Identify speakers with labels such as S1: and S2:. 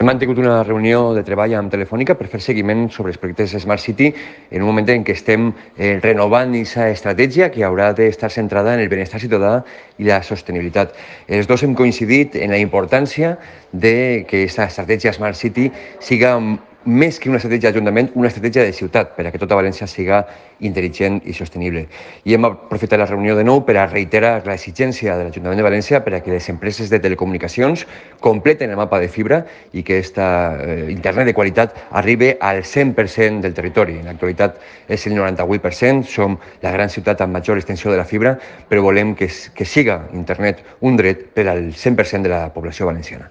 S1: Hem mantingut una reunió de treball amb Telefònica per fer seguiment sobre els projectes Smart City en un moment en què estem renovant aquesta estratègia que haurà d'estar centrada en el benestar ciutadà i la sostenibilitat. Els dos hem coincidit en la importància de que aquesta estratègia Smart City siga més que una estratègia d'Ajuntament, una estratègia de ciutat, per a que tota València siga intel·ligent i sostenible. I hem aprofitat la reunió de nou per a reiterar l'exigència de l'Ajuntament de València per a que les empreses de telecomunicacions completen el mapa de fibra i que aquesta internet de qualitat arribi al 100% del territori. En l'actualitat és el 98%, som la gran ciutat amb major extensió de la fibra, però volem que siga internet un dret per al 100% de la població valenciana.